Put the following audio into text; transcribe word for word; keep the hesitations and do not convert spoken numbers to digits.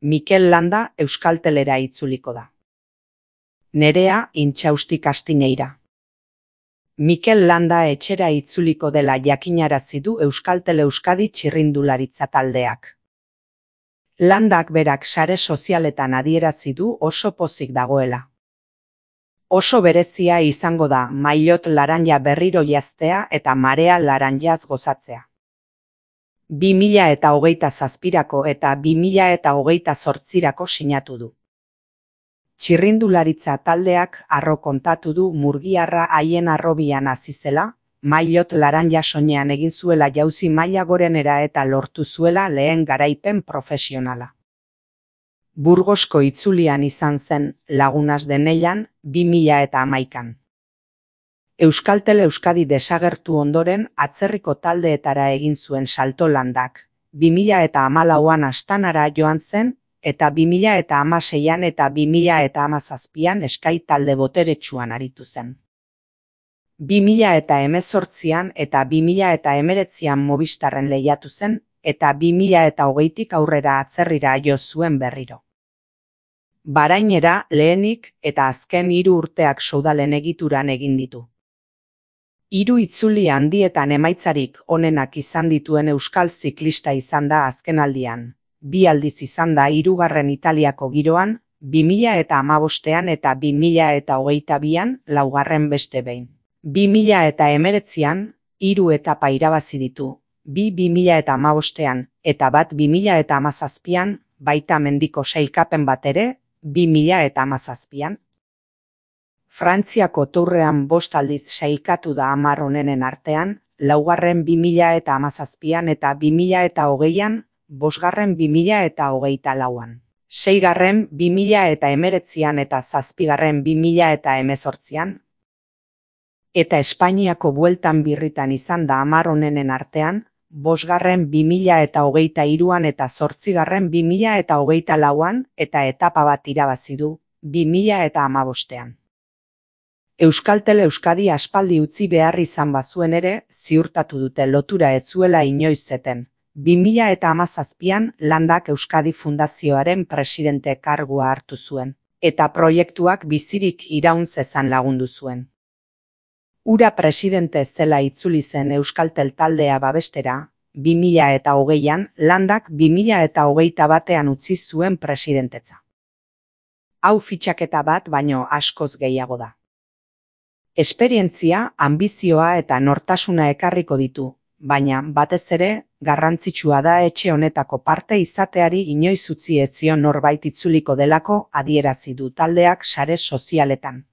Mikel Landa Euskaltelera itzuliko da. Nerea Intxaustik Astineira. Mikel Landa etxera itzuliko dela jakinarazi du Euskaltel Euskadi txirrindularitza taldeak. Landak berak sare sozialetan adierazi du oso pozik dagoela. Oso berezia izango da maillot laranja berriro jaztea eta marea laranjaz gozatzea. bi mila eta hogeita zazpirako eta bi mila eta hogeita zortzirako sinatu du. Txirrindularitza taldeak harro kontatu du murgiarra haien harrobian hasi zela, maillot laranja soinean egin zuela jauzi maila gorenera eta lortu zuela lehen garaipen profesionala. Burgosko itzulian izan zen Lagunas de Neian bi mila eta hamaikan. Euskaltel Euskadi desagertu ondoren atzerriko taldeetara egin zuen salto Landak, bi mila eta hamalauan Astanara joan zen eta bi mila eta hamaseian eta bi mila eta hamazazpian Sky talde boteretsuan aritu zen. bi mila eta hemezortzian eta bi mila eta hemeretzian Movistarren lehiatu zen eta bi mila eta hogeitik aurrera atzerrira jo zuen berriro. Barainera lehenik eta azken hiru urteak Soudalen egituran egin ditu. Hiru itzuli handietan emaitzarik onenak izan dituen euskal ziklista izan da azkenaldian, bi aldiz izan da hirugarren Italiako giroan, bi mila eta hamabostean eta bi mila eta hogeita bian laugarren beste behin. bi mila eta hemeretzian hiru etapa irabazi ditu, bi bi mila eta hamabostean eta bat bi mila eta hamazazpian, baita mendiko sailkapen bat ere, bi mila eta hamazazpian. Frantziako Tourrean bost aldiz sailkatu da hamar onenen artean, laugarren bi mila eta hamazazpian eta bi mila eta hogeian, bosgarren bi mila eta hogeita lauan. Seigarren bi mila eta hemeretzian eta zazpigarren bi mila eta hemezortzian. Eta Espainiako bueltan birritan izan da hamar onenen artean, bosgarren bi mila eta hogeita hiruan eta zortzigarren bi mila eta hogeita lauan eta etapa bat irabazi du, bi mila eta hamabostean. Euskaltel Euskadi aspaldi utzi behar izan bazuen ere, ziurtatu dute lotura ez zuela inoiz zeten. bi mila eta hamazazpian Landak Euskadi Fundazioaren presidente kargua hartu zuen, eta proiektuak bizirik iraun zezan lagundu zuen. Ura presidente zela itzuli zen Euskaltel taldea babestera, bi mila eta hogeian Landak bi mila eta hogeita batean utzi zuen presidentetza. Hau fitxaketa bat baino askoz gehiago da. Esperientzia, anbizioa eta nortasuna ekarriko ditu, baina batez ere garrantzitsua da etxe honetako parte izateari inoiz utzi ez zion norbait itzuliko delako adierazi du taldeak sare sozialetan.